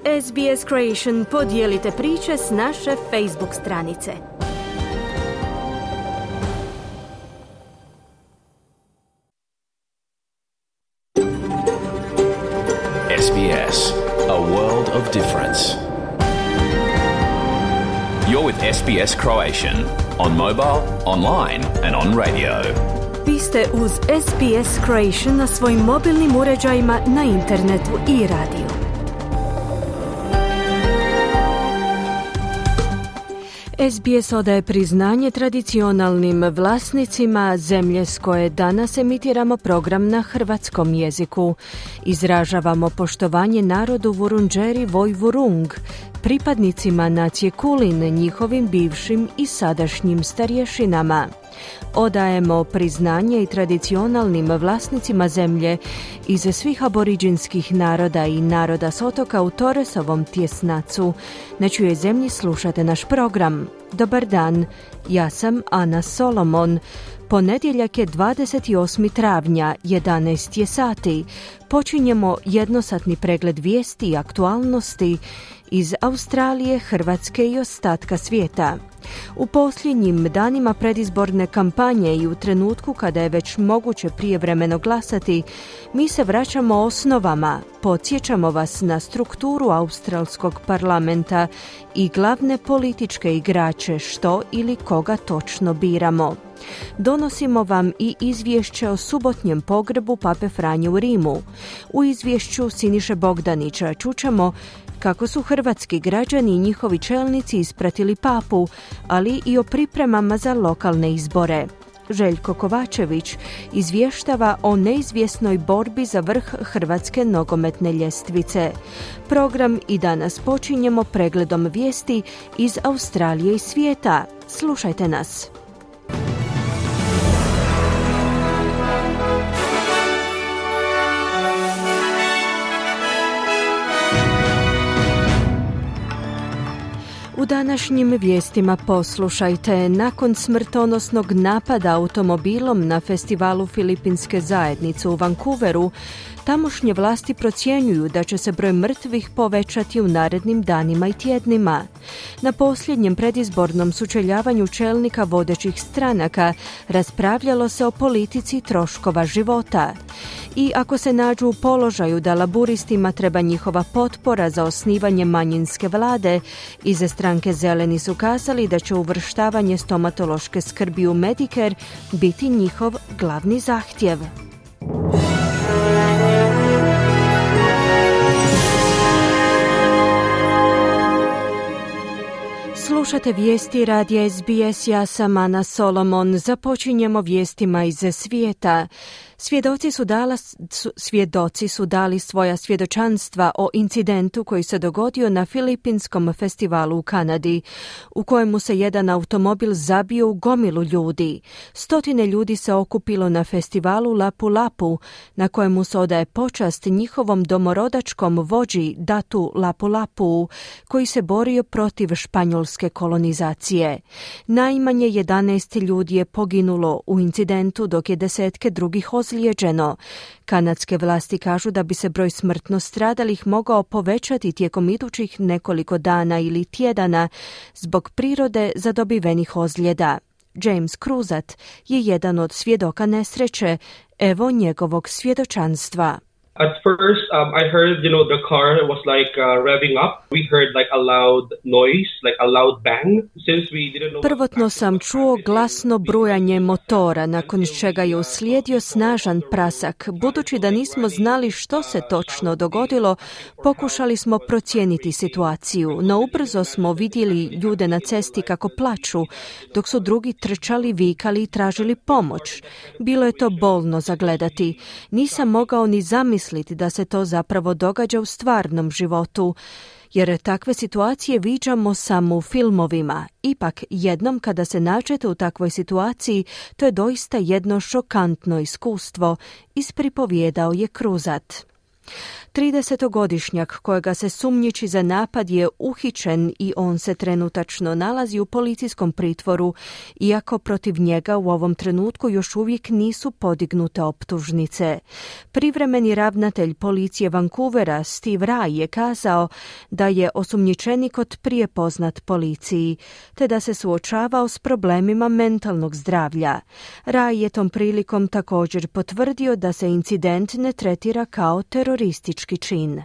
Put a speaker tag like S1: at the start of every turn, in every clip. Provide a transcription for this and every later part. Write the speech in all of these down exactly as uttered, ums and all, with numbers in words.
S1: S B S Creation podijelite priče s naše Facebook stranice.
S2: S B S, a world of difference. You're with S B S Croatian on mobile, online and on radio.
S1: Vi ste uz S B S Croatian na svojim mobilnim uređajima, na internetu i radiju. S B S odaje priznanje tradicionalnim vlasnicima zemlje s koje danas emitiramo program na hrvatskom jeziku. Izražavamo poštovanje narodu Vurundjeri Vojvurung, pripadnicima nacije Kulin, njihovim bivšim i sadašnjim starješinama. Odajemo priznanje i tradicionalnim vlasnicima zemlje iz svih aboriđinskih naroda i naroda s otoka u Torresovom tjesnacu. Na čijoj zemlji slušate naš program. Dobar dan, ja sam Ana Solomon. Ponedjeljak je dvadeset osmog travnja, jedanaest je sati. Počinjemo jednosatni pregled vijesti i aktualnosti iz Australije, Hrvatske i ostatka svijeta. U posljednjim danima predizborne kampanje i u trenutku kada je već moguće prijevremeno glasati, mi se vraćamo osnovama, podsjećamo vas na strukturu australskog parlamenta i glavne političke igrače što ili koga točno biramo. Donosimo vam i izvješće o subotnjem pogrebu Pape Franje u Rimu. U izvješću Siniše Bogdanića čućemo kako su hrvatski građani i njihovi čelnici ispratili papu, ali i o pripremama za lokalne izbore. Željko Kovačević izvještava o neizvjesnoj borbi za vrh hrvatske nogometne ljestvice. Program i danas počinjemo pregledom vijesti iz Australije i svijeta. Slušajte nas. U današnjim vijestima poslušajte, nakon smrtonosnog napada automobilom na festivalu Filipinske zajednice u Vancouveru, tamošnje vlasti procjenjuju da će se broj mrtvih povećati u narednim danima i tjednima. Na posljednjem predizbornom sučeljavanju čelnika vodećih stranaka raspravljalo se o politici troškova života. I ako se nađu u položaju da laburistima treba njihova potpora za osnivanje manjinske vlade, iza stranke Zeleni su kazali da će uvrštavanje stomatološke skrbi u Medicare biti njihov glavni zahtjev. Slušate vijesti radija S B S, ja sam Ana Solomon. Započinjemo vijestima iz svijeta. Svjedoci su, dala, su, svjedoci su dali svoja svjedočanstva o incidentu koji se dogodio na Filipinskom festivalu u Kanadi, u kojemu se jedan automobil zabio u gomilu ljudi. Stotine ljudi se okupilo na festivalu Lapu Lapu, na kojemu se odaje počast njihovom domorodačkom vođi Datu Lapu Lapu, koji se borio protiv španjolske kolonizacije. Najmanje jedanaest ljudi je poginulo u incidentu, dok je desetke drugih ozlijeđeno. Kanadske vlasti kažu da bi se broj smrtno stradalih mogao povećati tijekom idućih nekoliko dana ili tjedana zbog prirode zadobivenih ozljeda. James Cruzat je jedan od svjedoka nesreće. Evo njegovog svjedočanstva.
S3: At first, um, I heard, you know, the car was like uh, revving up. We heard like a loud noise, like a loud bang. Since we didn't know.
S1: Prvotno sam čuo glasno brujanje motora, nakon čega je uslijedio snažan prasak. Budući da nismo znali što se točno dogodilo, pokušali smo procijeniti situaciju, no ubrzo smo vidjeli ljude na cesti kako plaču, dok su drugi trčali, vikali i tražili pomoć. Bilo je to bolno zagledati. Nisam mogao ni zamisliti da se to zapravo događa u stvarnom životu, jer takve situacije viđamo samo u filmovima. Ipak, jednom kada se nađete u takvoj situaciji, to je doista jedno šokantno iskustvo, ispripovijedao je Cruzat. tridesetogodišnjak kojega se sumnjiči za napad je uhićen i on se trenutačno nalazi u policijskom pritvoru, iako protiv njega u ovom trenutku još uvijek nisu podignute optužnice. Privremeni ravnatelj policije Vancouvera Steve Rai je kazao da je osumnjičenik od prije poznat policiji, te da se suočavao s problemima mentalnog zdravlja. Rai je tom prilikom također potvrdio da se incident ne tretira kao teroristički čin.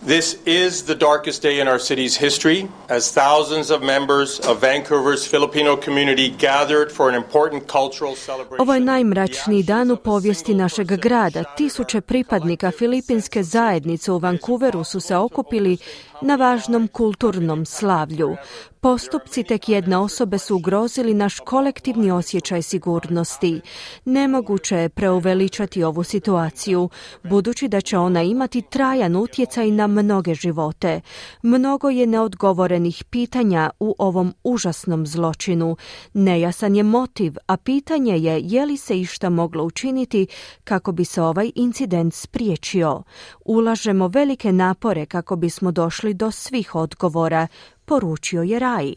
S4: This is the darkest day in our city's history as thousands of members of Vancouver's Filipino community gathered for an important cultural celebration.
S1: Ovo je najmračniji dan u povijesti našeg grada. Tisuće pripadnika filipinske zajednice u Vancouveru su se okupili na važnom kulturnom slavlju. Postupci tek jedne osobe su ugrozili naš kolektivni osjećaj sigurnosti. Nemoguće je preuveličati ovu situaciju, budući da će ona imati trajan utjecaj na mnoge živote. Mnogo je neodgovorenih pitanja u ovom užasnom zločinu. Nejasan je motiv, a pitanje je je li se išta moglo učiniti kako bi se ovaj incident spriječio. Ulažemo velike napore kako bismo došli do svih odgovora, poručio je Rai.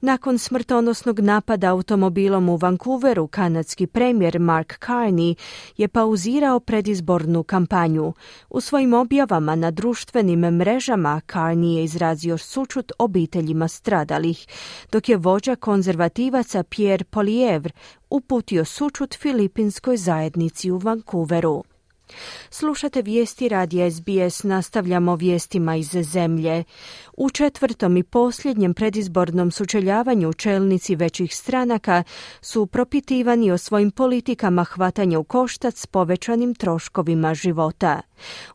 S1: Nakon smrtonosnog napada automobilom u Vancouveru, kanadski premijer Mark Carney je pauzirao predizbornu kampanju. U svojim objavama na društvenim mrežama Carney je izrazio sućut obiteljima stradalih, dok je vođa konzervativaca Pierre Poilievre uputio sućut filipinskoj zajednici u Vancouveru. Slušate vijesti radija S B S, nastavljamo vijestima iz zemlje. U četvrtom i posljednjem predizbornom sučeljavanju čelnici većih stranaka su propitivani o svojim politikama hvatanja u koštac s povećanim troškovima života.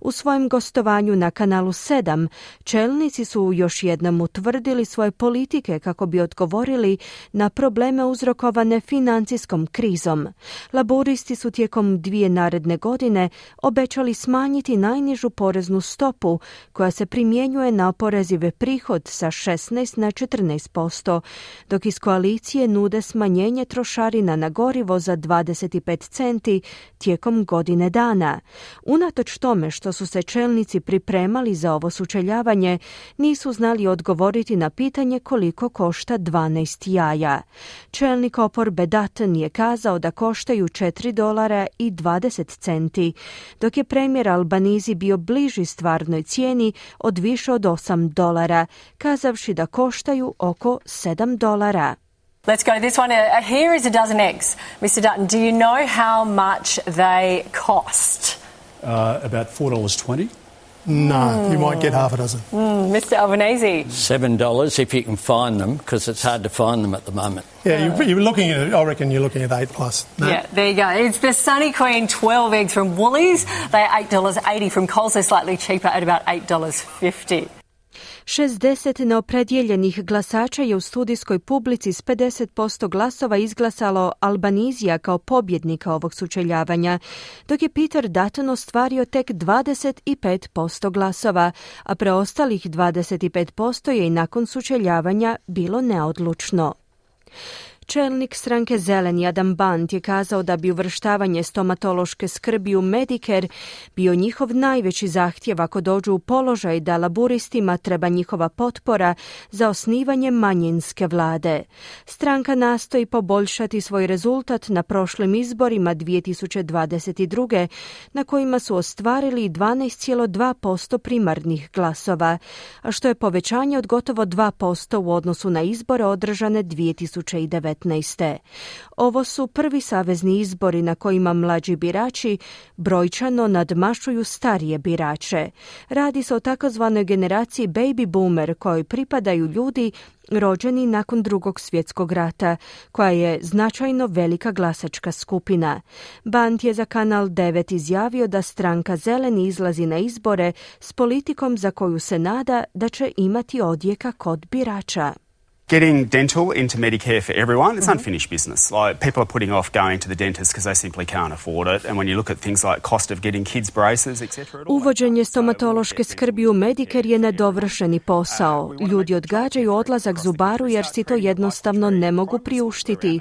S1: U svojem gostovanju na kanalu sedam čelnici su još jednom utvrdili svoje politike kako bi odgovorili na probleme uzrokovane financijskom krizom. Laburisti su tijekom dvije naredne godine obećali smanjiti najnižu poreznu stopu koja se primjenjuje na oporezive prihod sa šesnaest na četrnaest posto, dok iz koalicije nude smanjenje trošarina na gorivo za dvadeset pet centi tijekom godine dana. Unatoč tome što su se čelnici pripremali za ovo sučeljavanje, nisu znali odgovoriti na pitanje koliko košta dvanaest jaja. Čelnik oporbe Dutton je kazao da koštaju četiri dolara i dvadeset centi, dok je premijer Albanizi bio bliži stvarnoj cijeni od više od osam dolara, kazavši da koštaju oko sedam dolara.
S5: Let's go to this one. Uh, here is a dozen eggs. mister Dutton, do you know how much they cost?
S6: Uh, about four dollars twenty.
S7: No, mm. you might get half a dozen.
S5: Mm, mister Albanese.
S8: Seven dollars if you can find them, because it's hard to find them at the moment.
S7: Yeah, you, you're looking at. I reckon you're looking at eight plus. No?
S5: Yeah, there you go. It's the Sunny Queen twelve eggs from Woolies. They're eight dollars eighty from Coles. They're slightly cheaper at about eight dollars fifty.
S1: šezdeset neopredjeljenih glasača je u studijskoj publici s pedeset posto glasova izglasalo Albanizija kao pobjednika ovog sučeljavanja, dok je Peter Dutton ostvario tek dvadeset pet posto glasova, a preostalih dvadeset pet posto je i nakon sučeljavanja bilo neodlučno. Čelnik stranke Zeleni Adam Band je kazao da bi uvrštavanje stomatološke skrbi u Medicare bio njihov najveći zahtjev ako dođu u položaj da laburistima treba njihova potpora za osnivanje manjinske vlade. Stranka nastoji poboljšati svoj rezultat na prošlim izborima dvije tisuće dvadeset druge na kojima su ostvarili dvanaest zarez dva posto primarnih glasova, a što je povećanje od gotovo dva posto u odnosu na izbore održane dvije tisuće devetnaeste. Ovo su prvi savezni izbori na kojima mlađi birači brojčano nadmašuju starije birače. Radi se o takozvanoj generaciji baby boomer kojoj pripadaju ljudi rođeni nakon Drugog svjetskog rata, koja je značajno velika glasačka skupina. Band je za Kanal devet izjavio da stranka Zeleni izlazi na izbore s politikom za koju se nada da će imati odjeka kod birača.
S9: Getting dental into Medicare for everyone, it's unfinished business. Like, people are putting off going to the dentist because they simply can't afford it. And when you look at things like cost of getting kids braces, et cetera.
S1: Uvođenje stomatološke skrbi u Medicare je nedovršeni posao. Ljudi odgađaju odlazak zubaru jer si to jednostavno ne mogu priuštiti.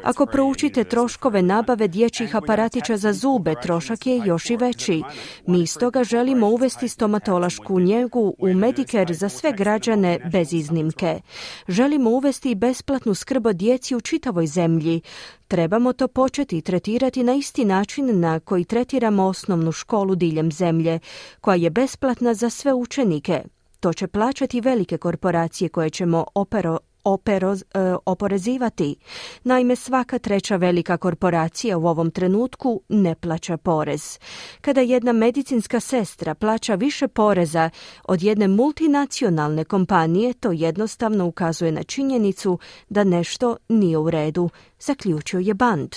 S1: Ako proučite troškove nabave dječjih aparatića za zube, trošak je još i veći. Mi stoga želimo uvesti stomatološku njegu u Medicare za sve građane bez iznimke. Želimo uvesti besplatnu skrb o djeci u čitavoj zemlji. Trebamo to početi tretirati na isti način na koji tretiramo osnovnu školu diljem zemlje, koja je besplatna za sve učenike. To će plaćati velike korporacije koje ćemo opero, opero, e, oporezivati. Naime, svaka treća velika korporacija u ovom trenutku ne plaća porez. Kada jedna medicinska sestra plaća više poreza od jedne multinacionalne kompanije, to jednostavno ukazuje na činjenicu da nešto nije u redu, zaključio je Band.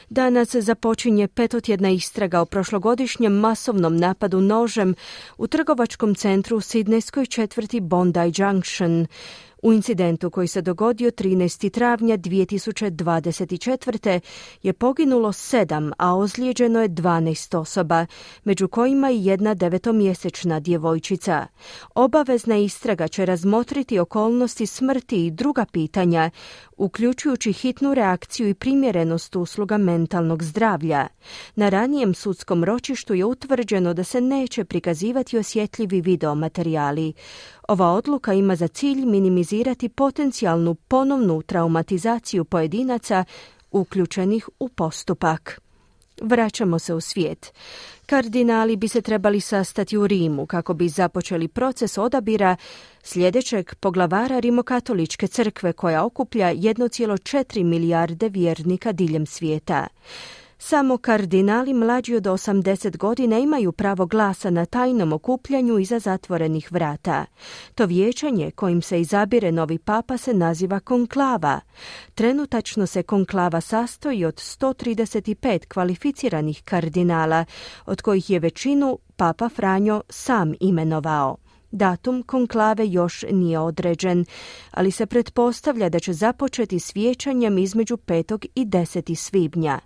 S1: Danas započinje petotjedna istraga o prošlogodišnjem masovnom napadu nožem u trgovačkom centru u sidnejskoj četvrti Bondi Junction. U incidentu koji se dogodio trinaestog travnja dvije tisuće dvadeset četvrte je poginulo sedam, a ozlijeđeno je dvanaest osoba, među kojima i jedna devetomjesečna djevojčica. Obavezna istraga će razmotriti okolnosti smrti i druga pitanja, uključujući hitnu reakciju i primjerenost usluga mentalnog zdravlja. Na ranijem sudskom ročištu je utvrđeno da se neće prikazivati osjetljivi videomaterijali. Ova odluka ima za cilj minimizirati potencijalnu ponovnu traumatizaciju pojedinaca uključenih u postupak. Vraćamo se u svijet. Kardinali bi se trebali sastati u Rimu kako bi započeli proces odabira sljedećeg poglavara Rimokatoličke crkve koja okuplja jednu zarez četiri milijarde vjernika diljem svijeta. Samo kardinali mlađi od osamdeset godina imaju pravo glasa na tajnom okupljanju iza zatvorenih vrata. To vijećanje kojim se izabire novi papa se naziva konklava. Trenutačno se konklava sastoji od sto trideset pet kvalificiranih kardinala, od kojih je većinu papa Franjo sam imenovao. Datum konklave još nije određen, ali se pretpostavlja da će započeti s vijećanjem između petog i desetog svibnja.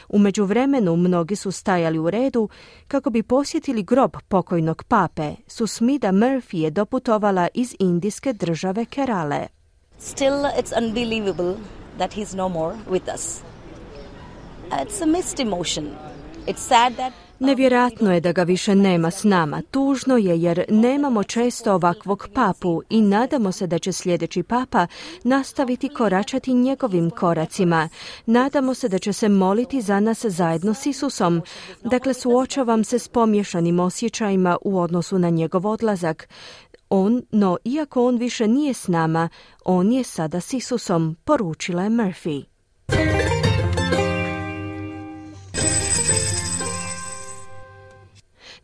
S1: U međuvremenu mnogi su stajali u redu kako bi posjetili grob pokojnog pape. Susmita Murphy je doputovala iz indijske države Kerale.
S10: Still, it's unbelievable that he's no more with us. It's a mixed emotion. It's sad that
S1: Nevjerojatno je da ga više nema s nama. Tužno je jer nemamo često ovakvog papu i nadamo se da će sljedeći papa nastaviti koračati njegovim koracima. Nadamo se da će se moliti za nas zajedno s Isusom. Dakle, suočavam se s pomiješanim osjećajima u odnosu na njegov odlazak. On, no iako on više nije s nama, on je sada s Isusom, poručila je Murphy.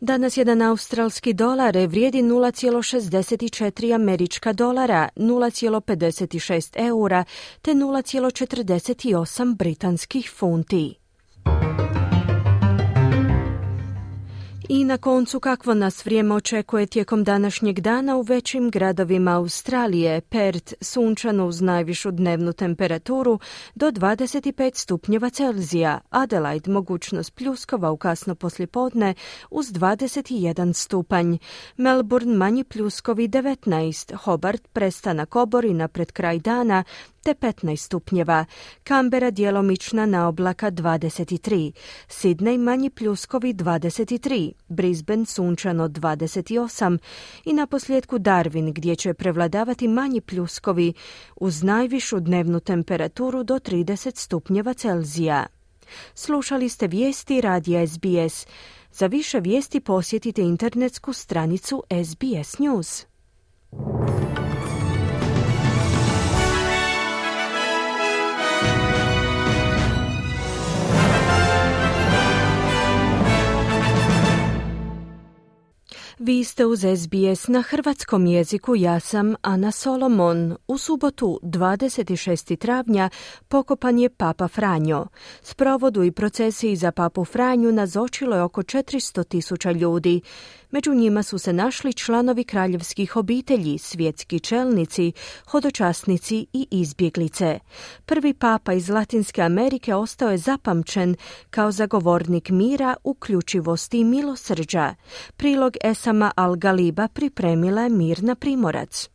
S1: Danas jedan australski dolar vrijedi nula zarez šezdeset četiri američka dolara, nula zarez pedeset šest eura te nula zarez četrdeset osam britanskih funti. I na koncu kakvo nas vrijeme očekuje tijekom današnjeg dana u većim gradovima Australije. Perth sunčano uz najvišu dnevnu temperaturu do dvadeset pet stupnjeva Celzija. Adelaide mogućnost pljuskova u kasno poslijepodne uz dvadeset jedan stupanj. Melbourne manji pljuskovi devetnaest. Hobart prestanak oborina pred kraj dana te petnaest stupnjeva. Canberra djelomična naoblaka dvadeset tri. Sydney manji pljuskovi dvadeset tri. Brisbane sunčano dvadeset osam i na posljedku Darwin gdje će prevladavati manji pljuskovi uz najvišu dnevnu temperaturu do trideset stupnjeva Celzija. Slušali ste vijesti radija S B S. Za više vijesti posjetite internetsku stranicu S B S News. Vi ste uz S B S na hrvatskom jeziku, ja sam Ana Solomon. U subotu dvadeset šestog travnja pokopan je Papa Franjo. Sprovodu i procesiji za Papu Franju nazočilo je oko četiristo tisuća ljudi. Među njima su se našli članovi kraljevskih obitelji, svjetski čelnici, hodočasnici i izbjeglice. Prvi papa iz Latinske Amerike ostao je zapamćen kao zagovornik mira, uključivosti i milosrđa. Prilog Esama Al-Galiba pripremila je Mirna Primorac.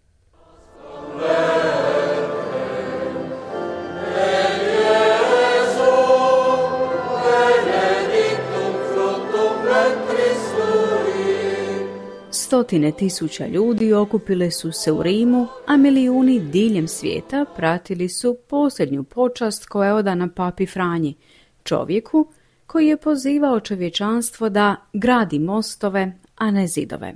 S11: Stotine tisuća ljudi okupile su se u Rimu, a milijuni diljem svijeta pratili su posljednju počast koja je odana papi Franji, čovjeku koji je pozivao čovječanstvo da gradi mostove, a ne zidove.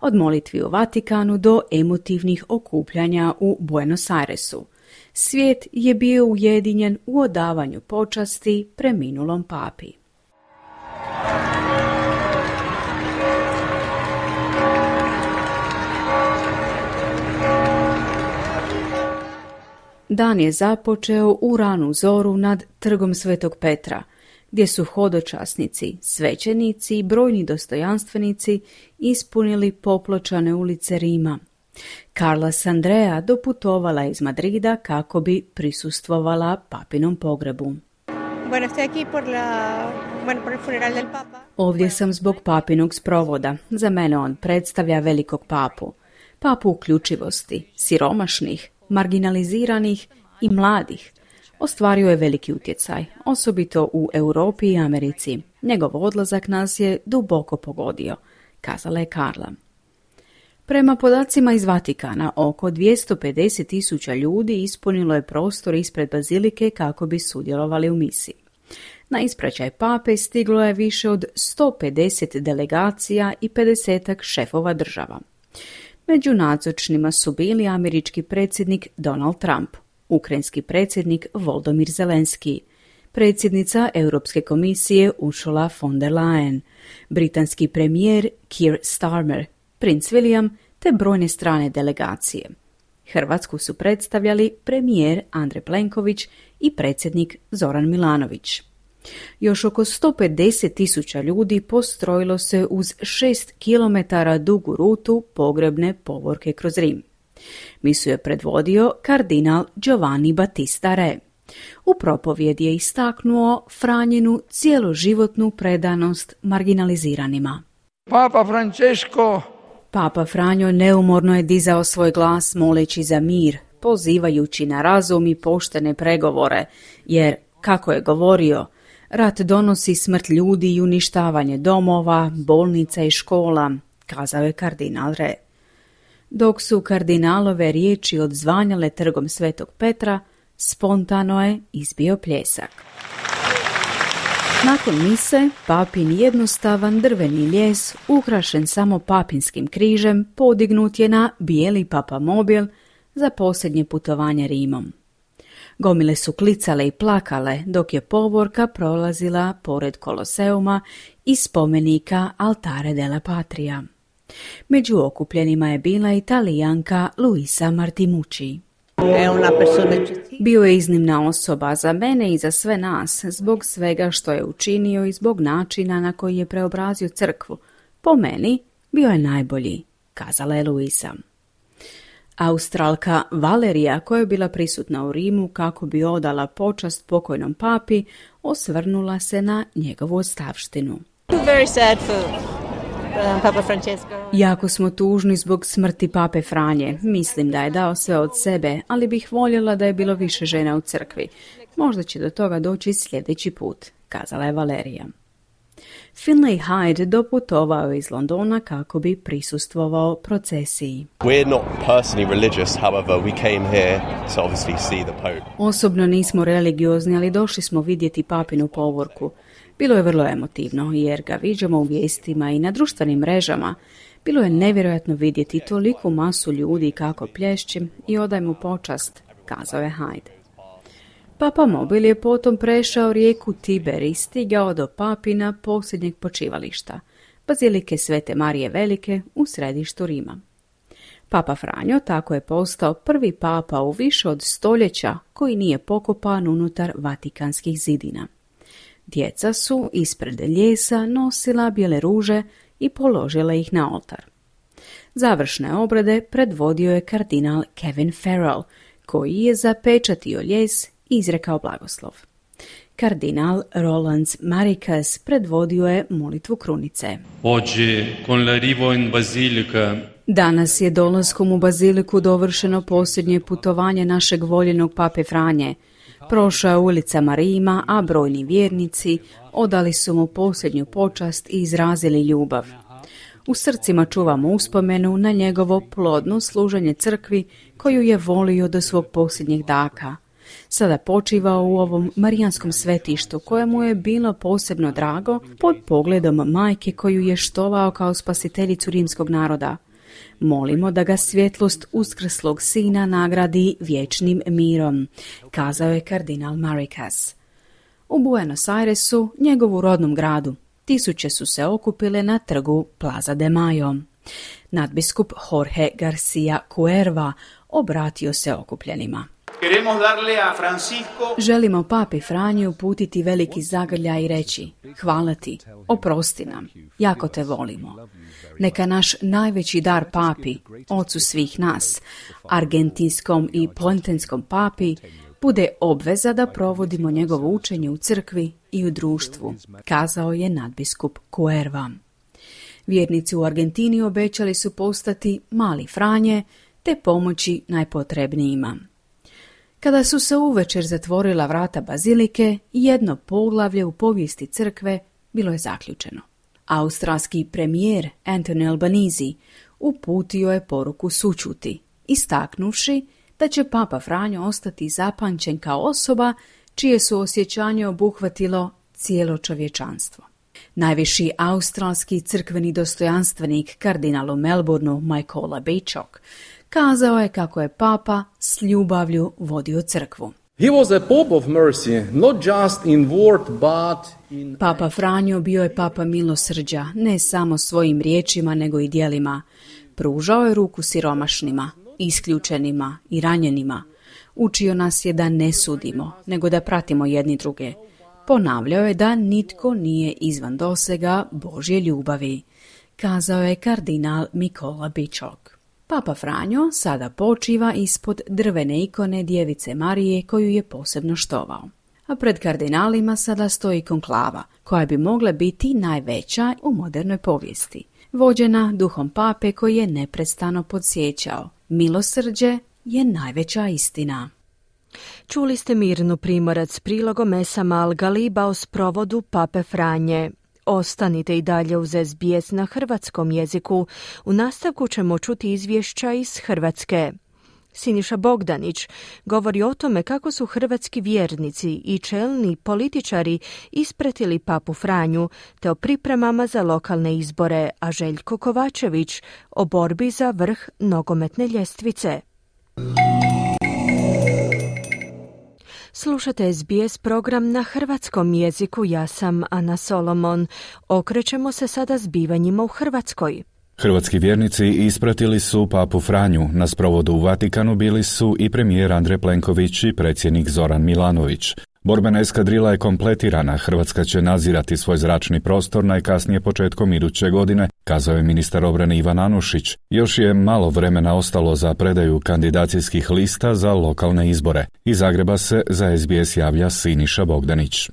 S11: Od molitvi u Vatikanu do emotivnih okupljanja u Buenos Airesu, svijet je bio ujedinjen u odavanju počasti preminulom papi. Dan je započeo u ranu zoru nad trgom Svetog Petra, gdje su hodočasnici, svećenici i brojni dostojanstvenici ispunili popločane ulice Rima. Carla Sandrea doputovala iz Madrida kako bi prisustvovala papinom pogrebu. Ovdje sam zbog papinog sprovoda. Za mene on predstavlja velikog papu. Papu uključivosti, siromašnih, marginaliziranih i mladih. Ostvario je veliki utjecaj, osobito u Europi i Americi. Njegov odlazak nas je duboko pogodio, kazala je Carla. Prema podacima iz Vatikana, oko dvjesto pedeset tisuća ljudi ispunilo je prostor ispred bazilike kako bi sudjelovali u misiji. Na ispraćaj pape stiglo je više od sto pedeset delegacija i pedesetak šefova država. Među nazočnima su bili američki predsjednik Donald Trump, ukrajinski predsjednik Volodymyr Zelenski, predsjednica Europske komisije Ursula von der Leyen, britanski premijer Keir Starmer, princ William te brojne strane delegacije. Hrvatsku su predstavljali premijer Andrej Plenković i predsjednik Zoran Milanović. Još oko sto pedeset tisuća ljudi postrojilo se uz šest kilometara dugu rutu pogrebne povorke kroz Rim. Misiju je predvodio kardinal Giovanni Battista Re. U propovjedi je istaknuo Franjinu cjeloživotnu predanost marginaliziranima.
S12: Papa Francesco
S11: Papa Franjo neumorno je dizao svoj glas moleći za mir, pozivajući na razum i poštene pregovore, jer, kako je govorio, rat donosi smrt ljudi i uništavanje domova, bolnica i škola, kazao je kardinal Re. Dok su kardinalove riječi odzvanjale trgom Svetog Petra, spontano je izbio pljesak. Nakon mise, papin jednostavan drveni lijes, ukrašen samo papinskim križem, podignut je na bijeli papamobil za posljednje putovanje Rimom. Gomile su klicale i plakale dok je povorka prolazila pored Koloseuma i spomenika Altare della Patria. Među okupljenima je bila Italijanka Luisa Martimucci. Bio je iznimna osoba za mene i za sve nas, zbog svega što je učinio i zbog načina na koji je preobrazio crkvu. Po meni bio je najbolji, kazala je Luisa. Australka Valerija, koja je bila prisutna u Rimu kako bi odala počast pokojnom papi, osvrnula se na njegovu ostavštinu. Jako smo tužni zbog smrti pape Franje. Mislim da je dao sve od sebe, ali bih voljela da je bilo više žena u crkvi. Možda će do toga doći sljedeći put, kazala je Valerija. Finlay Hyde doputovao iz Londona kako bi prisustvovao procesiji. Osobno nismo religiozni, ali došli smo vidjeti papinu povorku. Bilo je vrlo emotivno, jer ga viđamo u vijestima i na društvenim mrežama. Bilo je nevjerojatno vidjeti toliku masu ljudi kako plješći i odaj mu počast, kazao je Hyde. Papa mobil je potom prešao rijeku Tiber i stigao do papina posljednjeg počivališta, bazilike Svete Marije Velike u središtu Rima. Papa Franjo tako je postao prvi papa u više od stoljeća koji nije pokopan unutar vatikanskih zidina. Djeca su ispred ljesa nosila bijele ruže i položile ih na oltar. Završne obrede predvodio je kardinal Kevin Farrell, koji je zapečatio lijes i izrekao blagoslov. Kardinal Roland Marikas predvodio je molitvu krunice. Danas je dolaskom u baziliku dovršeno posljednje putovanje našeg voljenog pape Franje. Prošao je ulicama Rima, a brojni vjernici odali su mu posljednju počast i izrazili ljubav. U srcima čuvamo uspomenu na njegovo plodno služenje crkvi koju je volio do svog posljednjeg daka. Sada počiva u ovom marijanskom svetištu kojemu je bilo posebno drago pod pogledom majke koju je štovao kao spasiteljicu rimskog naroda. Molimo da ga svjetlost uskrslog sina nagradi vječnim mirom, kazao je kardinal Marikas. U Buenos Airesu, njegovu rodnom gradu, tisuće su se okupile na trgu Plaza de Mayo. Nadbiskup Jorge Garcia Cuerva obratio se okupljenima. Želimo papi Franji uputiti veliki zagrljaj i reći: hvala ti, oprosti nam, jako te volimo. Neka naš najveći dar papi, ocu svih nas, argentinskom i pontenskom papi, bude obveza da provodimo njegovo učenje u crkvi i u društvu, kazao je nadbiskup Cuerva. Vjernici u Argentini obećali su postati mali Franje te pomoći najpotrebnijima. Kada su se uvečer zatvorila vrata bazilike, jedno poglavlje u povijesti crkve bilo je zaključeno. Australski premijer Anthony Albanese uputio je poruku sućuti, istaknuvši da će papa Franjo ostati zapamćen kao osoba čije su osjećanje obuhvatilo cijelo čovječanstvo. Najviši australski crkveni dostojanstvenik kardinal u Melbourneu Michaela Bachok kazao je kako je papa s ljubavlju vodio crkvu.
S13: He was a pope of mercy, not just in word, but in...
S11: Papa Franjo bio je papa milosrđa, ne samo svojim riječima, nego i djelima. Pružao je ruku siromašnima, isključenima i ranjenima. Učio nas je da ne sudimo, nego da pratimo jedni druge. Ponavljao je da nitko nije izvan dosega Božje ljubavi, kazao je kardinal Michaela Bachok. Papa Franjo sada počiva ispod drvene ikone Djevice Marije koju je posebno štovao. A pred kardinalima sada stoji konklava, koja bi mogla biti najveća u modernoj povijesti, vođena duhom pape koji je neprestano podsjećao: milosrđe je najveća istina.
S1: Čuli ste Mirnu Primorac prilogom Esa Malgaliba o sprovodu pape Franje. Ostanite i dalje uz S B S na hrvatskom jeziku. U nastavku ćemo čuti izvješća iz Hrvatske. Siniša Bogdanić govori o tome kako su hrvatski vjernici i čelni političari ispratili papu Franju, te o pripremama za lokalne izbore, a Željko Kovačević o borbi za vrh nogometne ljestvice. Slušate S B S program na hrvatskom jeziku, ja sam Ana Solomon. Okrećemo se sada zbivanjima u Hrvatskoj.
S14: Hrvatski vjernici ispratili su papu Franju. Na sprovodu u Vatikanu bili su i premijer Andrej Plenković i predsjednik Zoran Milanović. Borbena eskadrila je kompletirana, Hrvatska će nadzirati svoj zračni prostor najkasnije početkom iduće godine, kazao je ministar obrane Ivan Anušić. Još je malo vremena ostalo za predaju kandidacijskih lista za lokalne izbore. Iz Zagreba se za S B S javlja Siniša Bogdanić.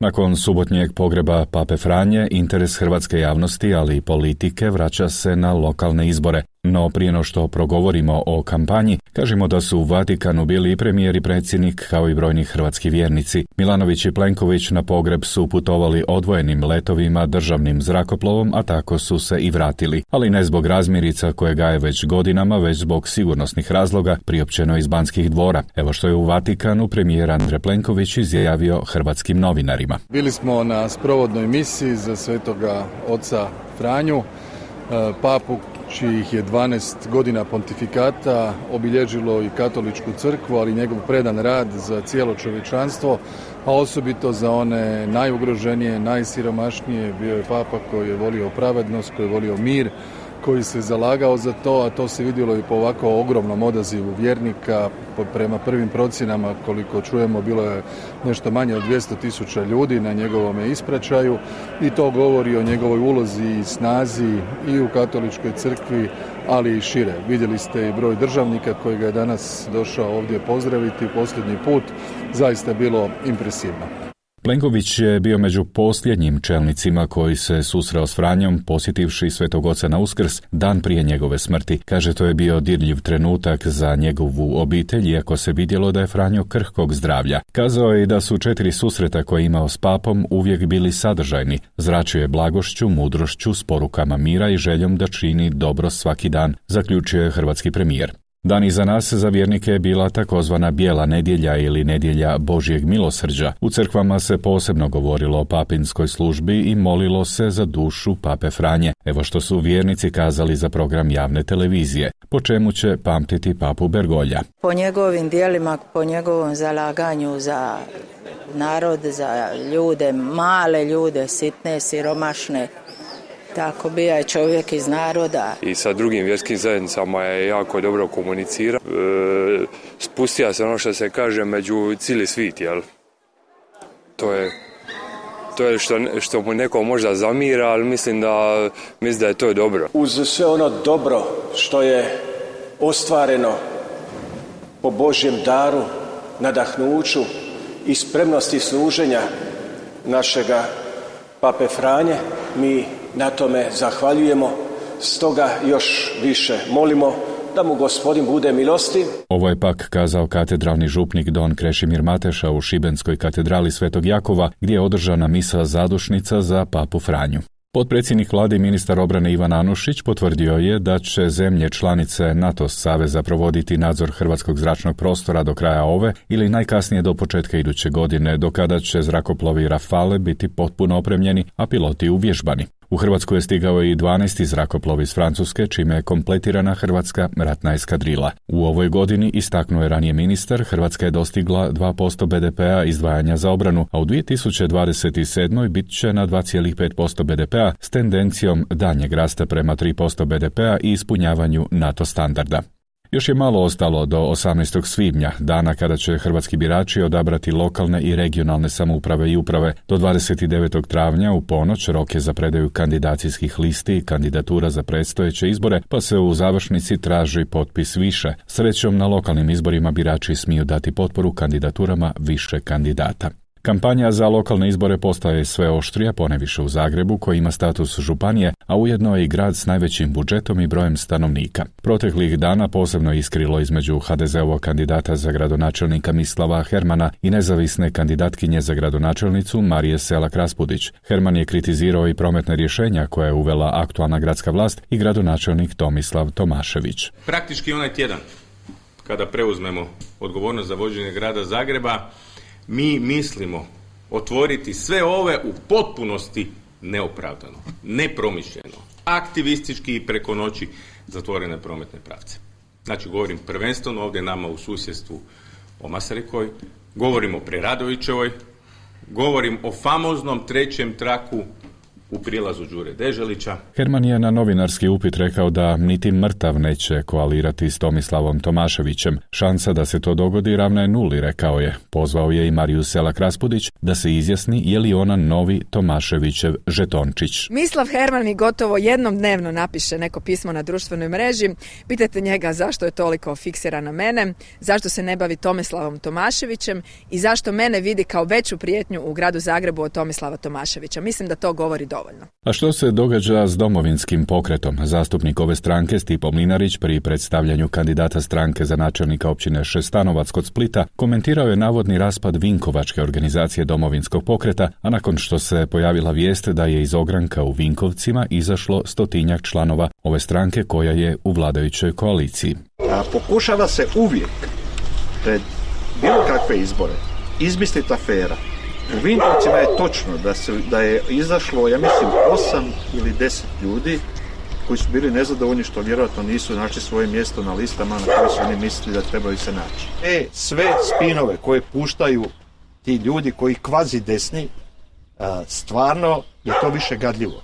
S14: Nakon subotnjeg pogreba pape Franje, interes hrvatske javnosti, ali i politike, vraća se na lokalne izbore. No prije no što progovorimo o kampanji, kažemo da su u Vatikanu bili i premijer i predsjednik, kao i brojni hrvatski vjernici. Milanović i Plenković na pogreb su putovali odvojenim letovima državnim zrakoplovom, a tako su se i vratili. Ali ne zbog razmirica koje gaje već godinama, već zbog sigurnosnih razloga, priopćeno iz Banskih dvora. Evo što je u Vatikanu premijer Andrej Plenković izjavio hrvatskim novinarima.
S15: Bili smo na sprovodnoj misiji za svetoga oca Franju, papu čijih je dvanaest godina pontifikata obilježilo i katoličku crkvu, ali njegov predan rad za cijelo čovječanstvo, a osobito za one najugroženije, najsiromašnije. Bio je papa koji je volio pravednost, koji je volio mir, koji se zalagao za to, a to se vidjelo i po ovako ogromnom odazivu vjernika. Prema prvim procjenama, koliko čujemo, bilo je nešto manje od dvjesto tisuća ljudi na njegovome ispraćaju i to govori o njegovoj ulozi i snazi i u katoličkoj crkvi, ali i šire. Vidjeli ste i broj državnika koji ga je danas došao ovdje pozdraviti posljednji put. Zaista je bilo impresivno.
S14: Plenković je bio među posljednjim čelnicima koji se susreo s Franjom, posjetivši Svetog Oca na Uskrs dan prije njegove smrti. Kaže, to je bio dirljiv trenutak za njegovu obitelj, iako se vidjelo da je Franjo krhkog zdravlja. Kazao je i da su četiri susreta koje je imao s papom uvijek bili sadržajni. Zračio je blagošću, mudrošću, s porukama mira i željom da čini dobro svaki dan, zaključio je hrvatski premijer. Dan iza nas za vjernike je bila takozvana bijela nedjelja ili nedjelja Božjeg milosrđa. U crkvama se posebno govorilo o papinskoj službi i molilo se za dušu pape Franje. Evo što su vjernici kazali za program javne televizije, po čemu će pamtiti papu Bergolja.
S16: Po njegovim dijelima, po njegovom zalaganju za narod, za ljude, male ljude, sitne, siromašne, tako bija je čovjek iz naroda.
S17: I sa drugim vjerskim zajednicama je jako dobro komunicira. E, spustija se ono što se kaže među cijeli svit, jel? To je, to je što, što mu neko možda zamira, ali mislim da, mislim da je to dobro.
S18: Uz sve ono dobro što je ostvareno po Božjem daru, nadahnuću i spremnosti služenja našega pape Franje, mi na tome zahvaljujemo, stoga još više molimo da mu Gospodin bude milostiv.
S14: Ovo je pak kazao katedralni župnik don Krešimir Mateša u Šibenskoj katedrali Svetog Jakova, gdje je održana misa zadušnica za papu Franju. Potpredsjednik vlade i ministar obrane Ivan Anušić potvrdio je da će zemlje članice NATO saveza provoditi nadzor hrvatskog zračnog prostora do kraja ove ili najkasnije do početka iduće godine, do kada će zrakoplovi Rafale biti potpuno opremljeni, a piloti uvježbani. U Hrvatsku je stigao i dvanaesti zrakoplov iz Francuske, čime je kompletirana hrvatska ratna eskadrila. U ovoj godini, istaknuo je ranije ministar, Hrvatska je dostigla dva posto be de pea izdvajanja za obranu, a u dvije tisuće dvadeset sedmoj bit će na dva zarez pet posto be de pea s tendencijom daljnjeg rasta prema tri posto be de pea i ispunjavanju NATO standarda. Još je malo ostalo do osamnaestog svibnja, dana kada će hrvatski birači odabrati lokalne i regionalne samouprave i uprave. Do dvadeset devetog travnja u ponoć rok je za predaju kandidacijskih listi i kandidatura za predstojeće izbore, pa se u završnici traži potpis više. Srećom, na lokalnim izborima birači smiju dati potporu kandidaturama više kandidata. Kampanja za lokalne izbore postaje sve oštrija, poneviše u Zagrebu, koji ima status županije, a ujedno je i grad s najvećim budžetom i brojem stanovnika. Proteklih dana posebno iskrilo između ha de zeovog kandidata za gradonačelnika Mislava Hermana i nezavisne kandidatkinje za gradonačelnicu Marije Selak Raspudić. Herman je kritizirao i prometne rješenja koje je uvela aktualna gradska vlast i gradonačelnik Tomislav Tomašević.
S19: Praktički onaj tjedan, kada preuzmemo odgovornost za vođenje grada Zagreba, mi mislimo otvoriti sve ove u potpunosti neopravdano, nepromišljeno, aktivistički i preko noći zatvorene prometne pravce. Znači, govorim prvenstveno ovdje nama u susjedstvu o Masarikoj, govorim o Preradovićevoj, govorim o famoznom trećem traku u prilazu Đure Deželića.
S14: Herman je na novinarski upit rekao da niti mrtav neće koalirati s Tomislavom Tomaševićem. Šansa da se to dogodi ravna je nuli, rekao je. Pozvao je i Mariju Selak Raspudić da se izjasni je li ona novi Tomaševićev žetončić.
S20: Mislav Herman mi gotovo jednom dnevno napiše neko pismo na društvenoj mreži. Pitajte njega zašto je toliko fiksiran na mene, zašto se ne bavi Tomislavom Tomaševićem i zašto mene vidi kao veću prijetnju u gradu Zagrebu od Tomislava Tomaševića. Mislim da to govori dovoljno.
S14: A što se događa s Domovinskim pokretom? Zastupnik ove stranke Stipo Mlinarić pri predstavljanju kandidata stranke za načelnika općine Šestanovac kod Splita komentirao je navodni raspad Vinkovačke organizacije Domovinskog pokreta, a nakon što se pojavila vijest da je iz ogranka u Vinkovcima izašlo stotinjak članova ove stranke koja je u vladajućoj koaliciji.
S21: A pokušava se uvijek pred bilo kakve izbore izmisliti afera. U Vinkovcima je točno da, se, da je izašlo, ja mislim, osam ili deset ljudi koji su bili nezadovoljni što vjerojatno nisu našli svoje mjesto na listama na koje su oni mislili da trebaju se naći. E, sve spinove koje puštaju ti ljudi koji kvazi desni, stvarno je to više gadljivo.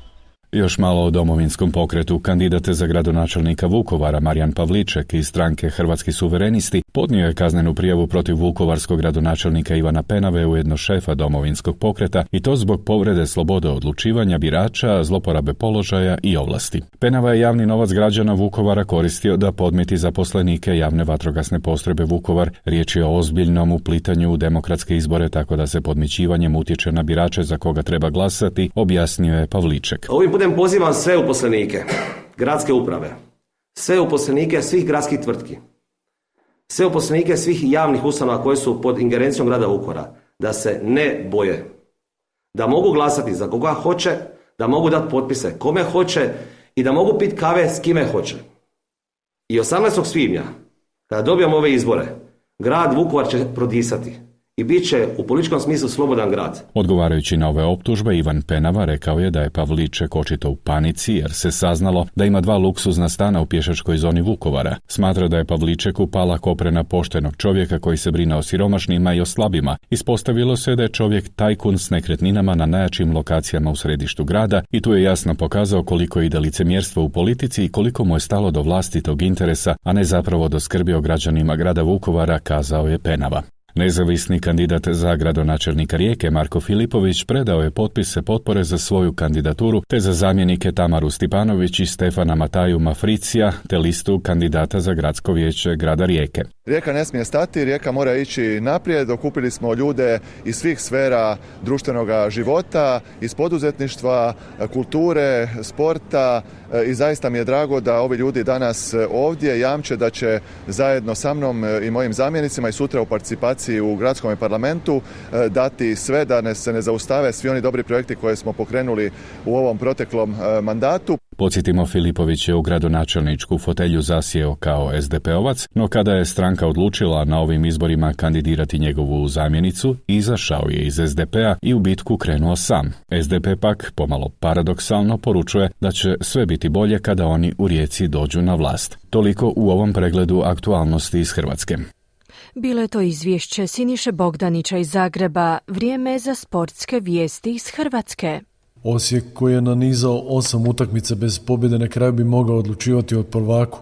S14: Još malo o Domovinskom pokretu. Kandidat za gradonačelnika Vukovara Marijan Pavliček iz stranke Hrvatski suverenisti podnio je kaznenu prijavu protiv vukovarskog gradonačelnika Ivana Penave, ujedno šefa Domovinskog pokreta, i to zbog povrede slobode odlučivanja birača, zloporabe položaja i ovlasti. Penava je javni novac građana Vukovara koristio da podmiti zaposlenike javne vatrogasne postrojbe Vukovar. Riječ je o ozbiljnom uplitanju u demokratske izbore, tako da se podmićivanjem utječe na birače za koga treba glasati, objasnio je Pavliček.
S2: Ovim putem pozivam sve uposlenike gradske uprave, sve uposlenike svih gradskih tvrtki, sve uposlenike svih javnih ustanova koje su pod ingerencijom grada Vukovara da se ne boje, da mogu glasati za koga hoće, da mogu dati potpise kome hoće i da mogu piti kave s kime hoće. I osamnaestog svibnja, kada dobijemo ove izbore, grad Vukovar će prodisati i bit će u političkom smislu slobodan grad.
S14: Odgovarajući na ove optužbe, Ivan Penava rekao je da je Pavliček očito u panici jer se saznalo da ima dva luksuzna stana u pješačkoj zoni Vukovara. Smatra da je Pavličeku pala koprena poštenog čovjeka koji se brine o siromašnima i o slabima. Ispostavilo se da je čovjek tajkun s nekretninama na najjačim lokacijama u središtu grada i tu je jasno pokazao koliko ide licemjerstvo u politici i koliko mu je stalo do vlastitog interesa, a ne zapravo do skrbi o građanima grada Vukovara, kazao je Penava. Nezavisni kandidat za gradonačelnika Rijeke Marko Filipović predao je potpise potpore za svoju kandidaturu te za zamjenike Tamaru Stipanović i Stefana Mataju Mafricija te listu kandidata za gradsko vijeće grada Rijeke.
S22: Rijeka ne smije stati, Rijeka mora ići naprijed. Okupili smo ljude iz svih sfera društvenog života, iz poduzetništva, kulture, sporta i zaista mi je drago da ovi ljudi danas ovdje jamče da će zajedno sa mnom i mojim zamjenicima i sutra u participaciji u gradskom parlamentu dati sve da ne, se ne zaustave svi oni dobri projekti koje smo pokrenuli u ovom proteklom mandatu.
S14: Podsjetimo, Filipović je u gradonačelničku fotelju zasjeo kao es de pe ovac, no kada je stranka odlučila na ovim izborima kandidirati njegovu zamjenicu, izašao je iz es de pea i u bitku krenuo sam. es de pe pak, pomalo paradoksalno, poručuje da će sve biti bolje kada oni u Rijeci dođu na vlast. Toliko u ovom pregledu aktualnosti iz Hrvatske.
S1: Bilo je to izvješće Siniše Bogdanića iz Zagreba. Vrijeme za sportske vijesti iz Hrvatske.
S23: Osijek, koji je nanizao osam utakmica bez pobjede, na kraju bi mogao odlučivati od prvaku.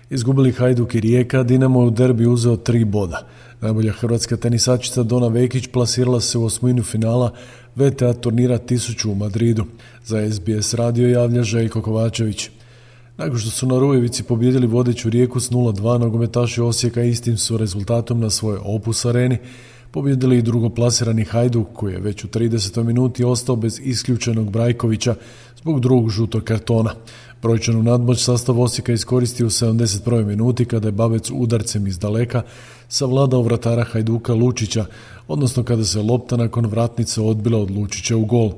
S23: Izgubili Hajduk i Rijeka, Dinamo je u derbi uzeo tri boda. Najbolja hrvatska tenisačica Dona Vekić plasirala se u osminu finala ve te a turnira tisuću u Madridu. Za es be es radio javlja Željko Kovačević. Nakon što su na Rujevici pobjedili vodeću Rijeku s nula dva, nogometaši Osijeka istim su rezultatom na svojoj Opus areni pobjedili i drugoplasirani Hajduk, koji je već u tridesetoj minuti ostao bez isključenog Brajkovića zbog drugog žutog kartona. Brojčanu nadmoć sastav Osijeka iskoristio u sedamdeset prvoj minuti kada je Babec udarcem iz daleka savladao vratara Hajduka Lučića, odnosno kada se lopta nakon vratnice odbila od Lučića u gol.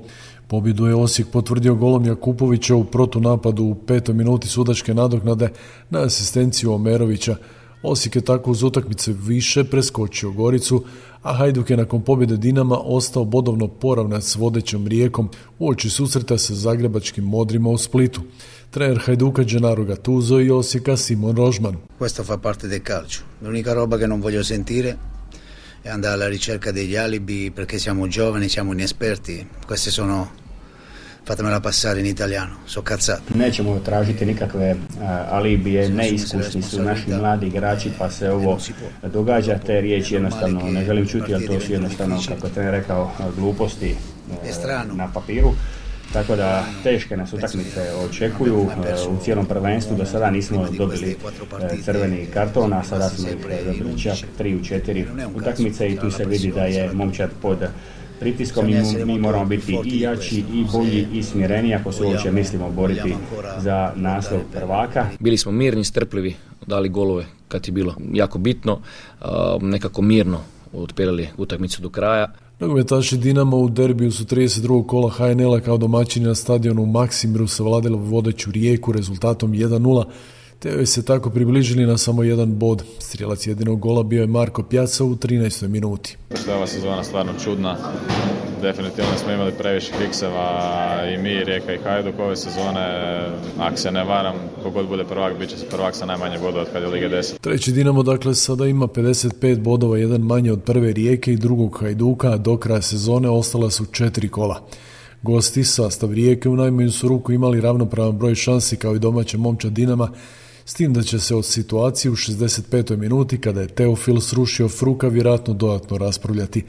S23: Pobjedu je Osijek potvrdio golom Jakupovića u protunapadu u petoj minuti sudačke nadoknade na asistenciju Omerovića. Osijek je tako uz utakmice više preskočio Goricu, a Hajduk je nakon pobjede Dinama ostao bodovno poravnat s vodećom Rijekom uoči susreta sa zagrebačkim Modrima u Splitu. Trener Hajduka Gennaro Gattuso i Osijeka Simon Rožman.
S24: Questo fa parte del calcio. L'unica roba che non voglio sentire è andare alla ricerca degli alibi perché siamo giovani, siamo inesperti. Queste sono, fatemela passare in italiano, so cazzate.
S25: Nećemo tražiti nikakve uh, alibije, neiskusni su naši mladi igrači, pa se ovo događa, te riječi jednostavno ne želim čuti, ali to su jednostavno, kako je trener rekao, gluposti uh, na papiru. Tako da teške nas utakmice očekuju u cijelom prvenstvu. Do sada nismo dobili crveni karton, a sada smo ih dobili čak tri u četiri utakmice i tu se vidi da je momčad pod pritiskom i mi moramo biti i jači i bolji i smireniji ako se uopće mislimo boriti za naslov prvaka.
S26: Bili smo mirni, strpljivi, dali golove kad je bilo jako bitno, nekako mirno otpjerali utakmicu do kraja.
S23: Nogometaši Dinama u derbiju su trideset drugog kola ha en el-a kao domaćini na stadionu u Maksimiru savladali vodeću Rijeku rezultatom jedan nula, te joj se tako približili na samo jedan bod. Strijelac jedinog gola bio je Marko Pjaca u trinaestoj minuti.
S27: Što je ova sezona stvarno čudna. Definitivno smo imali previše kikseva i mi, Rijeka i Hajduk ove sezone. Ako se ne varam, kogod bude prvak, bit će se prvak sa najmanje bodova od kad je Lige deset.
S23: Treći Dinamo dakle sada ima pedeset pet bodova, jedan manje od prve Rijeke i drugog Hajduka, a do kraja sezone ostala su četiri kola. Gosti, sastav Rijeke, u najmanju su ruku imali ravnopravan broj šansi kao i domaća momčad Dinama, s tim da će se od situacije u šezdeset petoj minuti, kada je Teofil srušio Fruka, vjerojatno dodatno raspravljati.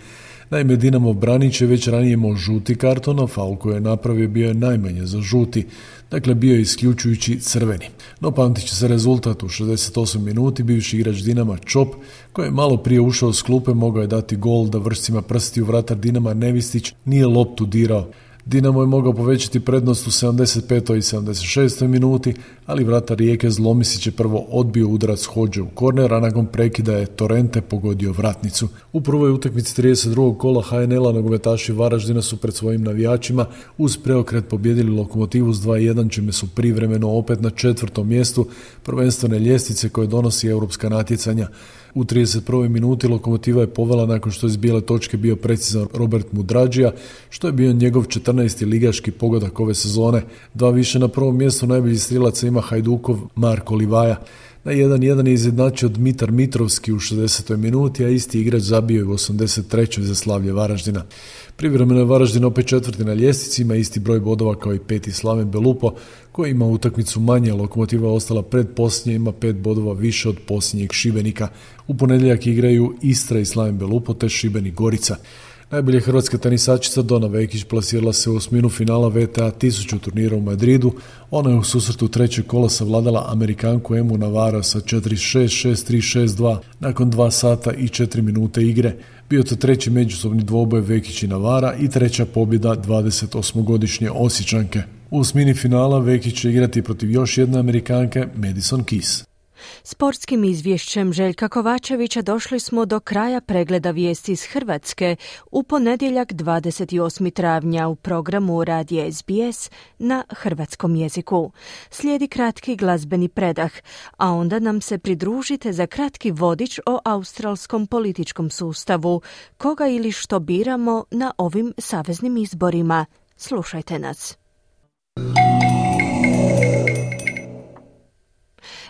S23: Naime, Dinamo Branić je već ranije imao žuti karton, a faul koji je napravio bio je najmanje za žuti, dakle bio je isključujući crveni. No pamtit će se rezultat u šezdeset osmoj minuti, bivši igrač Dinama Čop, koji je malo prije ušao s klupe, mogao je dati gol da vršcima prstiju vratar Dinama Nevistić nije loptu dirao. Dinamo je mogao povećati prednost u sedamdeset petoj i sedamdeset šestoj minuti, ali vratar Rijeke Zlomisić je prvo odbio udarac Hodže u korner, a nakon prekida je Torrente pogodio vratnicu. U prvoj utakmici trideset drugog kola ha en el-a nogometaši Varaždina su pred svojim navijačima uz preokret pobijedili Lokomotivu s dva jedan, čime su privremeno opet na četvrtom mjestu prvenstvene ljestvice koje donosi europska natjecanja. U trideset prvoj minuti Lokomotiva je povela nakon što je iz bijele točke bio precizan Robert Mudrađija, što je bio njegov četrnaesti ligaški pogodak ove sezone. Dva više na prvom mjestu najbolji strilaca ima Hajdukov Marko Livaja. Na jedan jedan je izjednačio Dmitar Mitrovski u šezdesetoj minuti, a isti igrač zabio je u osamdeset trećoj za slavlje Varaždina. Privremeno je Varaždin opet četvrti na ljestvici, ima isti broj bodova kao i peti Slaven Belupo, koji ima utakmicu manje. Lokomotiva je ostala pred posljednje, ima pet bodova više od posljednjeg Šibenika. U ponedjeljak igraju Istra i Slaven Belupo te Šibenik Gorica. Najbolja hrvatska tenisačica Dona Vekić plasirala se u osminu finala ve te a tisuću turnira u Madridu. Ona je u susretu trećeg kola savladala Amerikanku Emu Navarro sa četiri šest, šest tri, šest dva nakon dva sata i četiri minute igre. Bio to treći međusobni dvoboj Vekić i Navara i treća pobjeda dvadesetosmogodišnje Osječanke. U osmini finala Vekić će igrati protiv još jedne Amerikanke, Madison Keys.
S1: Sportskim izvješćem Željka Kovačevića došli smo do kraja pregleda vijesti iz Hrvatske u ponedjeljak dvadeset osmog travnja u programu Radija es be es na hrvatskom jeziku. Slijedi kratki glazbeni predah, a onda nam se pridružite za kratki vodič o australskom političkom sustavu, koga ili što biramo na ovim saveznim izborima. Slušajte nas.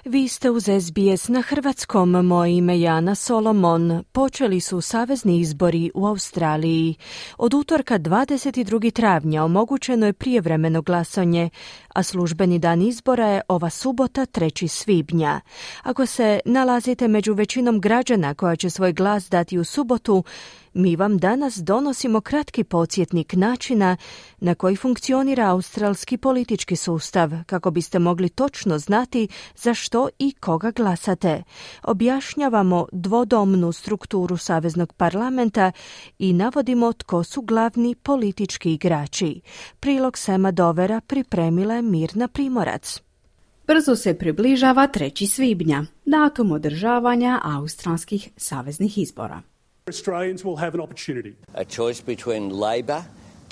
S1: Vi ste uz es be es na hrvatskom, moje ime je Ana Solomon. Počeli su savezni izbori u Australiji. Od utorka dvadeset drugog travnja omogućeno je prijevremeno glasanje, a službeni dan izbora je ova subota trećeg svibnja. Ako se nalazite među većinom građana koja će svoj glas dati u subotu, mi vam danas donosimo kratki podsjetnik načina na koji funkcionira australski politički sustav, kako biste mogli točno znati za što i koga glasate. Objašnjavamo dvodomnu strukturu saveznog parlamenta i navodimo tko su glavni politički igrači. Prilog Sema Dovera pripremila je Mirna Primorac.
S11: Brzo se približava trećeg svibnja, datum održavanja australskih saveznih izbora.
S3: Australians will have an opportunity.
S4: A choice between Labor,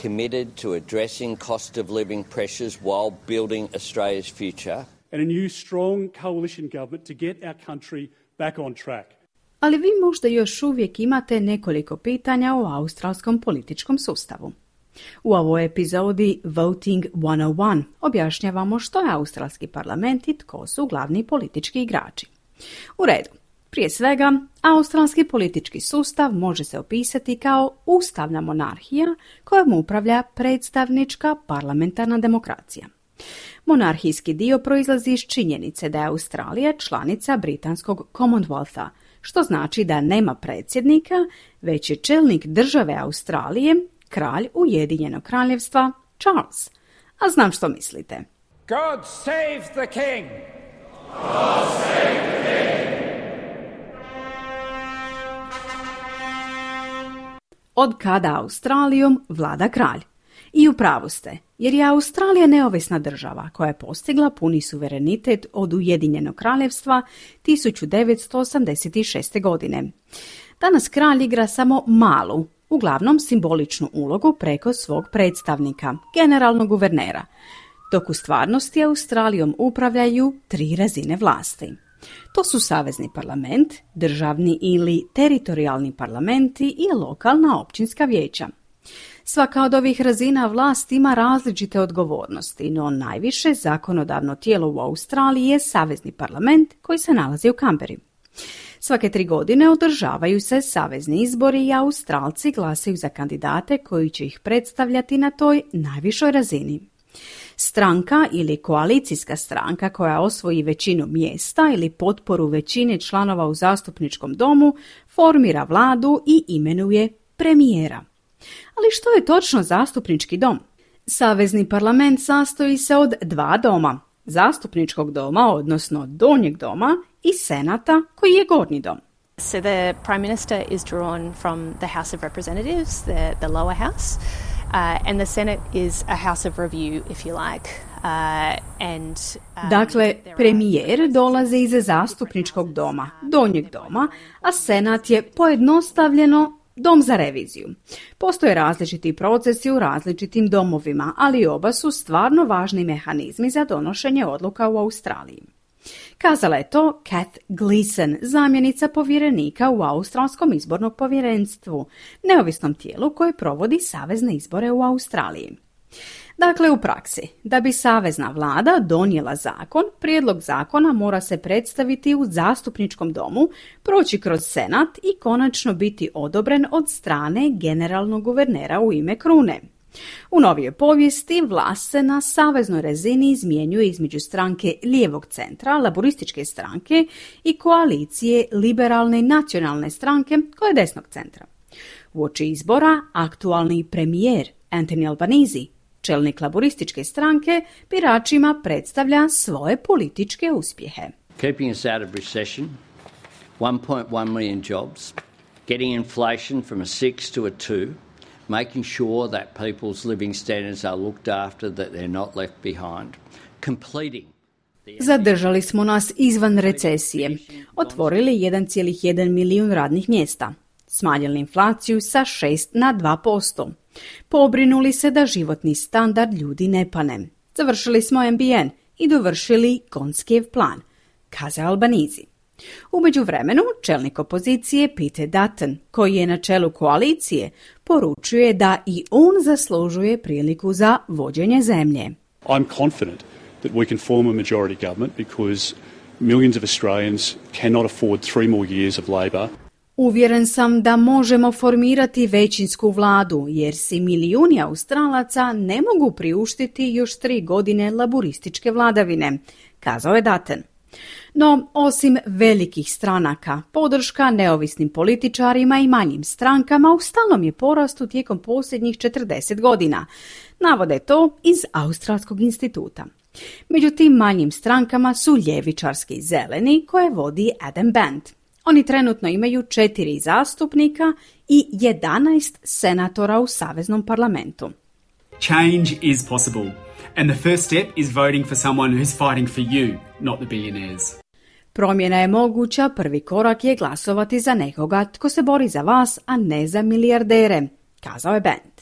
S4: committed to addressing cost of living pressures while building Australia's future,
S3: and a new strong coalition government to get our country back on track.
S11: Ali vi možda još uvijek imate nekoliko pitanja o australskom političkom sustavu. U ovoj epizodi Voting sto jedan objašnjavamo što je australski parlament i tko su glavni politički igrači. U redu. Prije svega, australski politički sustav može se opisati kao ustavna monarhija kojom upravlja predstavnička parlamentarna demokracija. Monarhijski dio proizlazi iz činjenice da je Australija članica britanskog Commonwealtha, što znači da nema predsjednika, već je čelnik države Australije, kralj Ujedinjenog kraljevstva Charles. A znam što mislite.
S12: God save the king!
S4: God save the king!
S11: Od kada Australijom vlada kralj. I u pravu ste, jer je Australija neovisna država koja je postigla puni suverenitet od Ujedinjenog kraljevstva tisuću devetsto osamdeset šeste. godine. Danas kralj igra samo malu, uglavnom simboličnu ulogu preko svog predstavnika, generalnog guvernera, dok u stvarnosti Australijom upravljaju tri razine vlasti. To su savezni parlament, državni ili teritorijalni parlamenti i lokalna općinska vijeća. Svaka od ovih razina vlasti ima različite odgovornosti, no najviše zakonodavno tijelo u Australiji je savezni parlament koji se nalazi u Canberri. Svake tri godine održavaju se savezni izbori i Australci glasaju za kandidate koji će ih predstavljati na toj najvišoj razini. Stranka ili koalicijska stranka koja osvoji većinu mjesta ili potporu većine članova u zastupničkom domu formira vladu i imenuje premijera. Ali što je točno zastupnički dom? Savezni parlament sastoji se od dva doma, zastupničkog doma, odnosno donjeg doma, i senata, koji je gornji dom.
S5: So the Prime Minister is drawn from the House of Representatives, the, the lower house, uh, and the Senate is a house of review, if you like. Uh, and, um,
S11: dakle, premijer dolazi iz zastupničkog doma, donjeg doma, a senat je pojednostavljeno dom za reviziju. Postoje različiti procesi u različitim domovima, ali oba su stvarno važni mehanizmi za donošenje odluka u Australiji. Kazala je to Kath Gleeson, zamjenica povjerenika u Australskom izbornom povjerenstvu, neovisnom tijelu koje provodi savezne izbore u Australiji. Dakle, u praksi, da bi savezna vlada donijela zakon, prijedlog zakona mora se predstaviti u zastupničkom domu, proći kroz senat i konačno biti odobren od strane generalnog guvernera u ime krune. U novijoj povijesti vlast se na saveznoj razini izmjenjuje između stranke lijevog centra, laborističke stranke, i koalicije liberalne i nacionalne stranke koja je desnog centra. Uoči izbora aktualni premijer Anthony Albanese, čelnik laborističke stranke, biračima predstavlja svoje političke uspjehe.
S4: Keeping us out of recession, one point one million jobs, getting inflation from a six to a two, making sure that people's living standards are looked after, that they're not left behind, completing.
S11: Zadržali smo nas izvan recesije, otvorili jedan zarez jedan milijun radnih mjesta, smanjili inflaciju sa šest na dva posto, pobrinuli se da životni standard ljudi ne pane, završili smo M B N i dovršili Gonskijev plan, kazao Albanese. U međuvremenu, čelnik opozicije Peter Dutton, koji je na čelu koalicije, poručuje da i on zaslužuje priliku za vođenje zemlje.
S3: I'm confident that we can form a majority government because millions of Australians cannot afford three more years of Labor.
S11: Uvjeren sam da možemo formirati većinsku vladu, jer si milijuni Australaca ne mogu priuštiti još tri godine laborističke vladavine, kazao je Dutton. No, osim velikih stranaka, podrška neovisnim političarima i manjim strankama u stalnom je porastu tijekom posljednjih četrdeset godina, navode to iz Australskog instituta. Među tim manjim strankama su ljevičarski zeleni koje vodi Adam Band. Oni trenutno imaju četiri zastupnika i jedanaest senatora u saveznom parlamentu.
S6: Change is possible, and the first step is voting for someone who's fighting for you, not the billionaires.
S11: Promjena je moguća, prvi korak je glasovati za nekoga tko se bori za vas, a ne za milijardere, kazao je Band.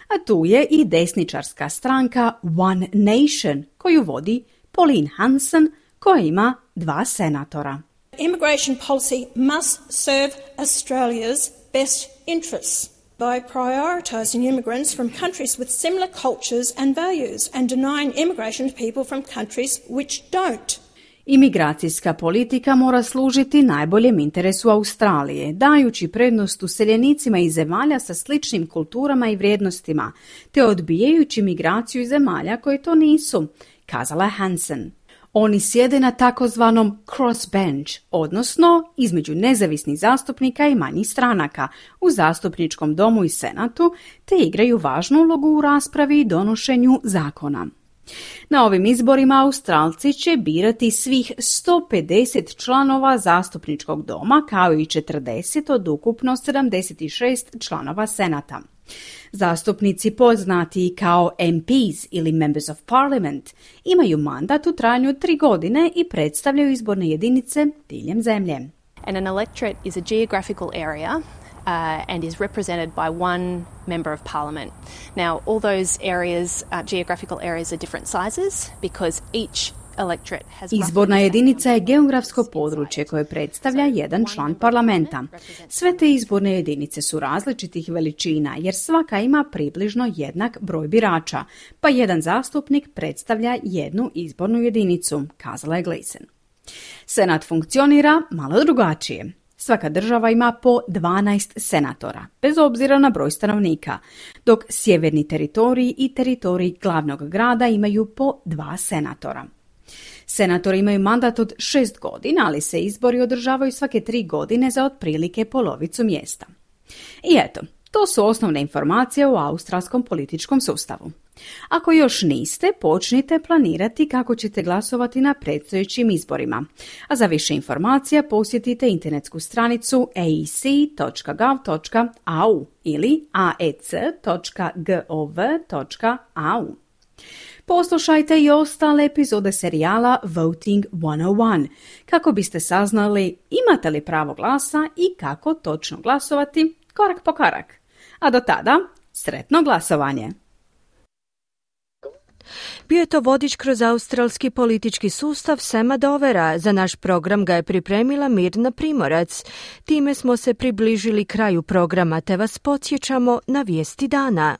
S11: A tu je i desničarska stranka One Nation, koju vodi Pauline Hanson, koja ima dva senatora.
S7: Immigration policy must serve Australia's best interests by prioritising immigrants from countries with similar cultures and values and denying immigration to people from countries which don't.
S11: Imigracijska politika mora služiti najboljem interesu Australije, dajući prednost useljenicima iz zemalja sa sličnim kulturama i vrijednostima, te odbijajući migraciju iz zemalja koje to nisu, kazala je Hansen. Oni sjede na takozvanom crossbench, odnosno između nezavisnih zastupnika i manjih stranaka u zastupničkom domu i senatu, te igraju važnu ulogu u raspravi i donošenju zakona. Na ovim izborima Australci će birati svih sto pedeset članova zastupničkog doma, kao i četrdeset od ukupno sedamdeset šest članova senata. Zastupnici, poznati kao M Ps ili Members of Parliament, imaju mandat u trajanju tri godine i predstavljaju izborne jedinice diljem zemlje.
S5: And an electorate is a geographical area Uh, and is represented by one member of parliament. Now, all those areas, uh, geographical areas are different sizes because each electorate has...
S11: Izborna jedinica je geografsko područje koje predstavlja jedan član parlamenta. Sve te izborne jedinice su različitih veličina jer svaka ima približno jednak broj birača, pa jedan zastupnik predstavlja jednu izbornu jedinicu, kazala je Gleeson. Senat funkcionira malo drugačije. Svaka država ima po dvanaest senatora, bez obzira na broj stanovnika, dok sjeverni teritoriji i teritoriji glavnog grada imaju po dva senatora. Senatori imaju mandat od šest godina, ali se izbori održavaju svake tri godine za otprilike polovicu mjesta. I eto, to su osnovne informacije o australskom političkom sustavu. Ako još niste, počnite planirati kako ćete glasovati na predstojećim izborima. A za više informacija posjetite internetsku stranicu a e c dot gov dot a u ili a e c dot gov dot a u. Poslušajte i ostale epizode serijala Voting sto jedan kako biste saznali imate li pravo glasa i kako točno glasovati korak po korak. A do tada, sretno glasovanje!
S1: Bio je to vodič kroz australski politički sustav Sema Dovera. Za naš program ga je pripremila Mirna Primorac. Time smo se približili kraju programa, te vas podsjećamo na vijesti dana.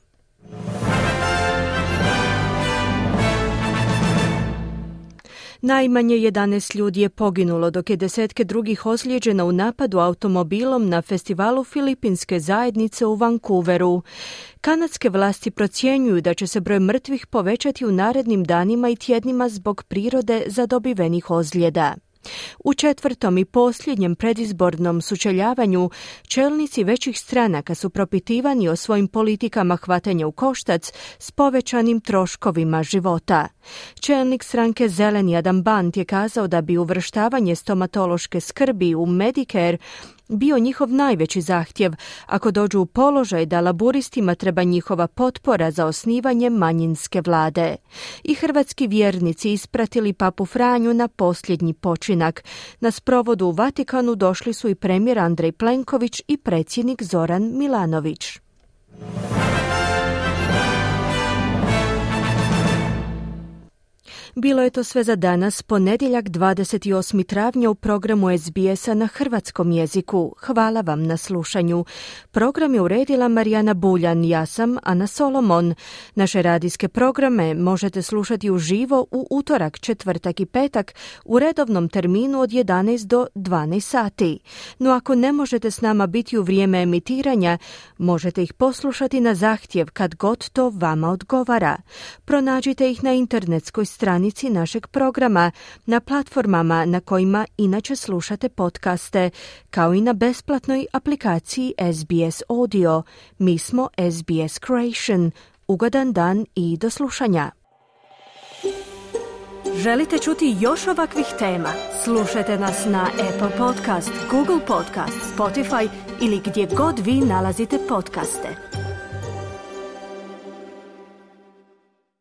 S1: Najmanje jedanaest ljudi je poginulo, dok je desetke drugih ozlijeđeno u napadu automobilom na festivalu filipinske zajednice u Vancouveru. Kanadske vlasti procjenjuju da će se broj mrtvih povećati u narednim danima i tjednima zbog prirode zadobivenih ozljeda. U četvrtom i posljednjem predizbornom sučeljavanju čelnici većih stranaka su propitivani o svojim politikama hvatanja u koštac s povećanim troškovima života. Čelnik stranke Zeleni Adam Bant je kazao da bi uvrštavanje stomatološke skrbi u Medicare bio njihov najveći zahtjev ako dođu u položaj da laburistima treba njihova potpora za osnivanje manjinske vlade. I hrvatski vjernici ispratili papu Franju na posljednji počinak. Na sprovodu u Vatikanu došli su i premijer Andrej Plenković i predsjednik Zoran Milanović. Bilo je to sve za danas, ponedjeljak dvadeset osmog travnja u programu es be es-a na hrvatskom jeziku. Hvala vam na slušanju. Program je uredila Marijana Buljan, ja sam Ana Solomon. Naše radijske programe možete slušati uživo u utorak, četvrtak i petak u redovnom terminu od jedanaest do dvanaest sati. No ako ne možete s nama biti u vrijeme emitiranja, možete ih poslušati na zahtjev kad god to vama odgovara. Pronađite ih na internetskoj strani našeg programa, na platformama na kojima inače slušate podcaste, kao i na besplatnoj aplikaciji es be es Audio. Mi smo es be es Creation. Ugodan dan i do slušanja. Želite čuti još ovakvih tema? Slušajte nas na Apple Podcast, Google Podcast, Spotify ili gdje god vi nalazite podcaste.